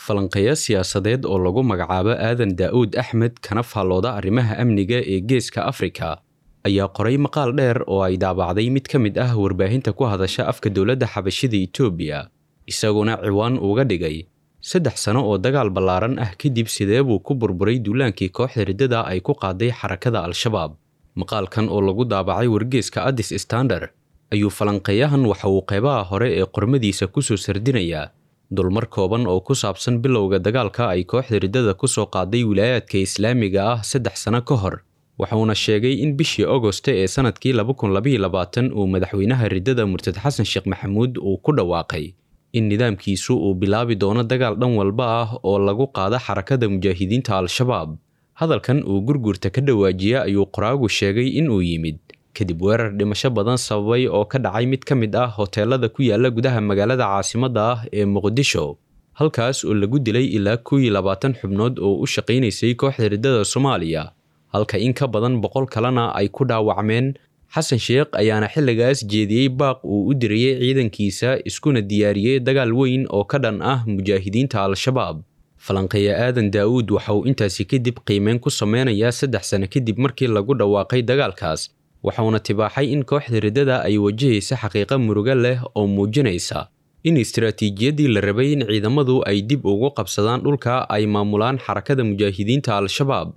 Falanqeeyo siyaasadeed oo lagu magacaabo Aadan Daa'uud Axmed, kana faallooda arrimaha amniga ee Geeska Afrika, ayaa qoray maqaal dheer oo ay daabacday mid ka mid ah warbaahinta ku hadasha afka dowladda Xabashida Itoobiya, isaguna ciwaan uga dhigay 3 sano oo dagaal ballaaran ah kadib sidee buu ku burburay duulaankii kooxda riddada ay ku qaaday xarakada Al-Shabaab. Maqaalkan oo lagu daabacay wargeyska Addis Standard ayuu falanqeeyahan waxa uu qeybaha hore ee qormadiisa kusoo sardinayaa dulmar kooban oo ku saabsan bilowga dagaalka ay kooxda riddada kusoo qaaday wilaayaadka islaamiga ah 3 sano ka hor. Wuxuuna sheegay in bishii Ogoste ee sanadkii 2022 uu madaxweynaha riddada, murtad Xasan Sheekh Maxamuud, uu ku dhawaaqay in nidaamkiisu uu bilaabi doono dagaal dhan walba ah oo lagu qaado xarakada mujaahidiinta Al-Shabaab. Hadalkan uu Gurgurta ka dhawaajiya ayuu qoraagu sheegay in uu yimid kadib weerar dhimasho badan sababay oo ka dhacay mid ka mid ah hoteelada ku yaala gudaha magaalada caasimadda ah ee Muqdisho, halkaas oo lagu dilay ilaa 21 xubnood oo u shaqaynaysay kooxda riddada Soomaaliya, halka in ka badan 100 kalena ay ku dhaawacmeen. Xasan Sheekh ayaana xilligaas jeediyey baaq uu u dirayey ciidankiisa, iskuna diyaariyey dagaal weyn oo ka dhan ah mujaahidiinta Al-Shabaab. Falanqeeya Aadan Daa'uud waxa uu intaasi kadib qiimeyn ku sameynayaa 3 sano kadib markii lagu dhawaaqay dagaalkaas, waxauna tibaaxay in kooxda riddada ay wajahaysa xaqiiqo murugo leh oo muujinaysa in istaraatiijiyaddii la rabay in ciidamadu ay dib ugu qabsadaan dhulka ay maamulaan xarakada mujaahidiinta Al-Shabaab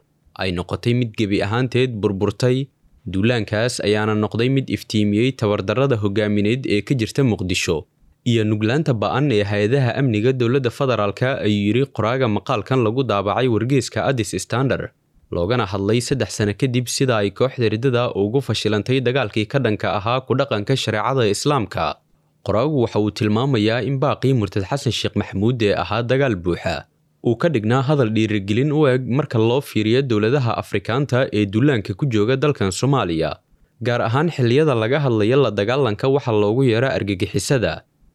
ay noqotay mid gebi ahaanteed burburtay. Duulaankaas ayaana noqday mid iftiimiyey tabardarrada hogaamineed ee ka jirta Muqdisho iyo nuglaanta ba'an ee hay-adaha amniga dowladda federaalka, ayuu yidhi qoraaga maqaalkan lagu daabacay wargeyska Addis Standard, loogana hadlay 3 sano kadib sida ay kooxda riddada ugu fashilantay dagaalkii ka dhanka ahaa ku dhaqanka shareecada islaamka. Qoraagu waxa uu tilmaamayaa in baaqii murtad Xasan Sheekh Maxamuud ee ahaa dagaal buuxa uu ka dhignaa hadal dhiirigelin u eg marka loo fiiriyo dowladaha Afrikaanta ee duulaanka ku jooga dalkan Soomaaliya, gaar ahaan xilliyada laga hadlayo la dagaalanka waxa loogu yeero argagixisada,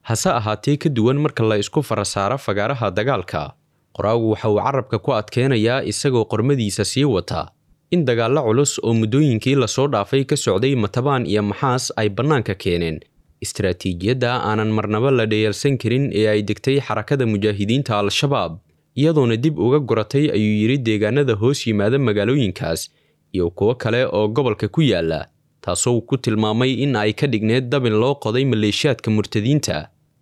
hase ahaatee ka duwan marka la isku farasaaro fagaaraha dagaalka. Qoraagu waxa uu carabka ku adkeenayaa, isagoo qormadiisa sii wata, in dagaallo culus oo muddooyinkii lasoo dhaafay ka socday Matabaan iyo Maxaas ay bannaanka keeneen istaraatiijiyadda aanan marnaba la dhayalsan karin ee ay degtay xarakada mujaahidiinta Al-Shabaab, iyadoona dib uga guratay, ayuu yidhi, deegaanada hoos yimaada magaalooyinkaas iyo kuwo kale oo gobolka ku yaala, taasoo ku tilmaamay in ay ka dhigneed dabin loo qoday maleeshiyaadka murtadiinta,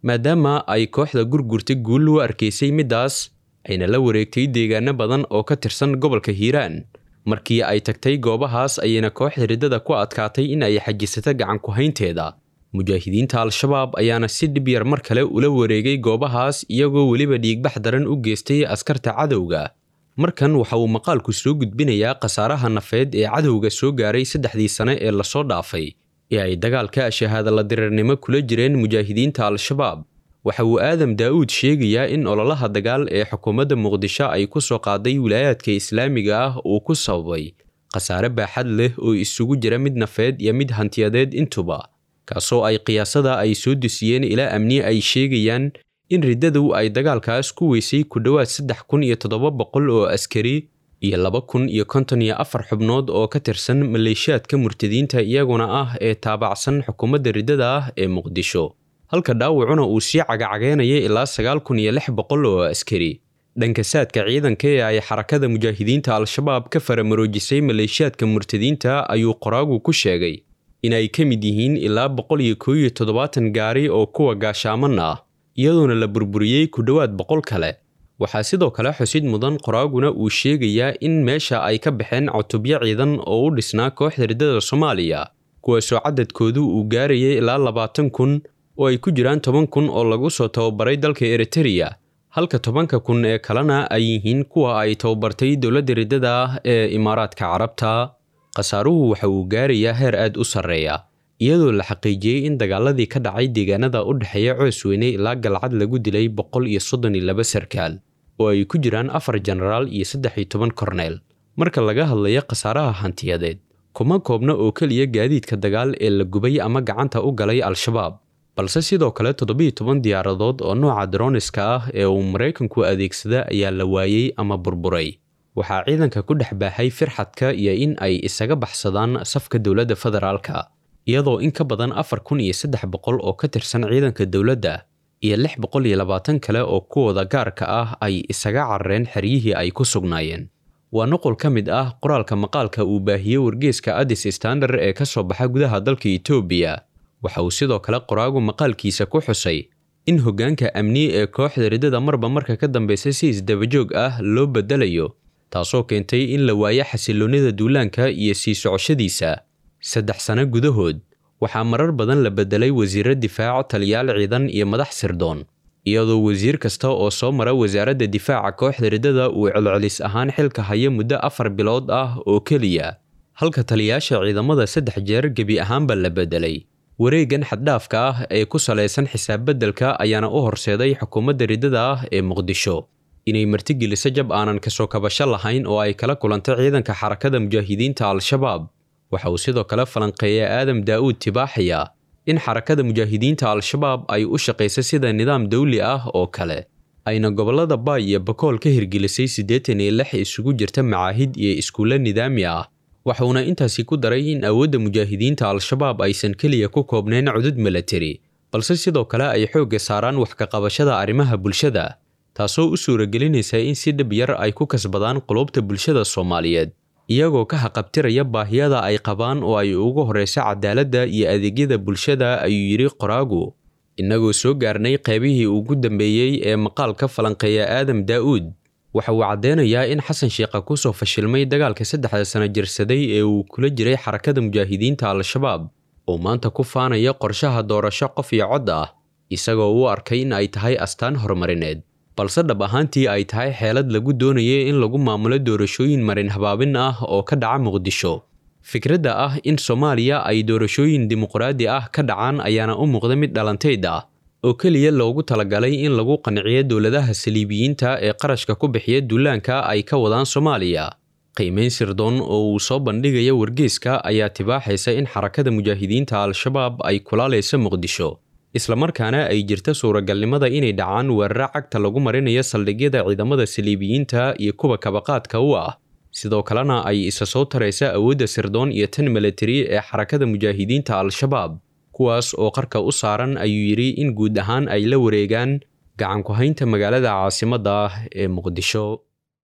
maadaama ay kooxda Gurgurta guul u arkaysay middaas, ayna la wareegtay deegaano badan oo ka tirsan gobolka Hiiraan. Markii ay tagtay goobahaas ayayna kooxda riddada ku adkaatay in ay xajisato gacan ku-haynteeda. Mujaahidiinta Al-Shabaab ayaana si dhib yar mar kale ula wareegay goobahaas, iyagoo weliba dhiigbax daran u geystay askarta cadowga. Markan waxa uu maqaalku soo gudbinayaa khasaaraha nafeed ee cadowga soo gaaray saddexdii sane ee lasoo dhaafay ee ay dagaalka shahaada la dirirnimo kula jireen mujaahidiinta Al-Shabaab. Waxa uu Aadam Daa'uud sheegayaa in ololaha dagaal ee xukuumadda Muqdisho ay ku soo qaaday wilaayaadka islaamiga ah uu ku sababay khasaare baaxad leh oo isugu jira mid nafeed iyo mid hantiyadeed intuba, kaasoo ay qiyaasada ay soo dusiyeen ilaa amni ay sheegayaan in riddadu ay dagaalkaas ku weysay ku dhowaad 3700 oo askari iyo 2054 xubnood oo ka tirsan maleeshiyaadka murtadiinta iyaguna ah ee taabacsan xukuumadda riddada ah ee Muqdisho, halka dhaawacuna uu sii cagacageenaya ilaa 9600 oo askari. Dhanka saadka ciidanka ee ay xarakada mujaahidiinta Al-Shabaab ka faramaroojisay maleeshiyaadka murtadiinta ayuu qoraagu ku sheegay in ay ka mid yihiin ilaa 171 gaari oo kuwa gaashaaman ah, iyadoona la burburiyey ku dhowaad 100 kale. Waxaa sidoo kale xusid mudan, qoraaguna uu sheegayaa, in meesha ay ka baxeen cutubyo ciidan oo u dhisnaa kooxda riddada Soomaaliya, kuwaasoo cadadkoodu uu gaarayay ilaa 20,000, oo ay ku jiraan 10,000 oo lagu soo tababaray dalka Eritereya, halka 10,000 ee kalena ay yihiin kuwa ay tababartay dowladda riddada ah ee Imaaraadka Carabta. Khasaaruhu waxa uu gaarayaa heer aad u sarreeya, iyadoo la xaqiijiyey in dagaaladii ka dhacay deegaanada u dhexeeya Coosweyne ilaa Galcad lagu dilay 132 sarkaal, oo ay ku jiraan afar jenaraal iyo 13 korneel. Marka laga hadlayo khasaaraha hantiyadeed, kuma koobna oo keliya gaadiidka dagaal ee la gubay ama gacanta u galay Al-Shabaab, balse sidoo kale 17 diyaaradood oo nooca droniska ah ee uu Maraykanku adeegsada ayaa la waayey ama burburay. Waxaa ciidanka ku dhex baaxay firxadka iyo in ay isaga baxsadaan safka dowladda federaalka, iyadoo in ka badan 4300 oo ka tirsan ciidanka dowladda iyo 620 kale oo kuwooda gaarka ah ay isaga carareen xeryihii ay ku sugnaayeen. Waa nuqul ka mid ah qoraalka maqaalka uu baahiyey wargeyska Addis Standard ee ka soo baxa gudaha dalka Itoobiya. Waxa uu sidoo kale qoraagu maqaalkiisa ku xusay in hoggaanka amni ee kooxda riddada marba marka ka dambeysa si isdabajoog ah loo bedelayo, taasoo keentay in la waayo xasilloonida duulaanka iyo sii socoshadiisa. 3 sano gudahood waxaa marar badan la bedelay wasiirro difaac, taliyaal ciidan iyo madax sirdoon, iyadoo wasiir kasta oo soo mara wasaaradda difaaca kooxda riddada uu celcelis ahaan xilka hayo muddo 4 bilood ah oo keliya, halka taliyaasha ciidamada 3 jeer gebi ahaanba la bedelay. Wareegan xaddhaafka ah ee ku salaysan xisaab beddelka ayaana u horseeday xukuumadda riddada ah ee Muqdisho inay martigeliso jab aanan kasoo kabasho lahayn oo ay kala kulantay ciidanka Xarakada Mujaahidiinta Al-Shabaab. Waxa uu sidoo kale falanqeeya Aadam Daa'uud tibaaxaya in Xarakada Mujaahidiinta Al-Shabaab ay u shaqayso sida nidaam dawli ah oo kale, ayna gobollada Baay iyo Bakool ka hirgelisay 86 isugu jirta macaahid iyo iskuulo nidaami ah. Waxuuna intaasi ku daray in awoodda mujaahidiinta Al-Shabaab aysan keliya ku koobnayn cudud milatari, balse sidoo kale ay xoogga saaraan wax ka qabashada arrimaha bulshada, taasoo u suuragelinaysa in si dhib yar ay ku kasbadaan qulubta bulshada Soomaaliyeed, iyagoo ka haqabtiraya baahiyada ay qabaan oo ay ugu horeyso cadaaladda iyo adeegyada bulshada, ayuu yidhi qoraagu. Innagoo soo gaarnay qaybihii ugu dambeeyey ee maqaalka falanqeeya Aadam Daa'uud, waxa uu caddeynayaa in Xasan Sheekha ku soo fashilmay dagaalka 3da sano jirsaday ee uu kula jiray Xarakada Mujaahidiinta Al-Shabaab, oo maanta ku faanaya qorshaha doorasho qof iyo cod ah, isagoo u arkay in ay tahay astaan horumarineed, balse dhab ahaantii ay tahay xeelad lagu doonayay in lagu maamulo doorashooyin marin habaabin ah oo ka dhaca Muqdisho. Fikradda ah in Soomaaliya ay doorashooyin dimuqraadi ah ka dhacaan ayaana u muuqda mid dhalanteyd ah oo keliya loogu talagalay in lagu qanciyo dowladaha saliibiyiinta ee qarashka ku bixiya duulaanka ay ka wadaan Soomaaliya. Qiimeyn sirdoon oo uu soo bandhigaya wargeyska ayaa tibaaxaysa in Xarakada Mujaahidiinta Al-Shabaab ay kulaalayso Muqdisho, islamarkaana ay jirta suuragalnimada inay dhacaan weeraro cagta lagu marinayo saldhigyada ciidamada saliibiyiinta iyo kuwa kabaqaadka u ah, sidoo kalena ay isa soo taraysa awoodda sirdoon iyo tan milatari ee Xarakada Mujaahidiinta Al-Shabaab, kuwaas oo qarka u saaran, ayuu yidhi, in guud ahaan ay la wareegaan gacan ku haynta magaalada caasimadda ah ee Muqdisho.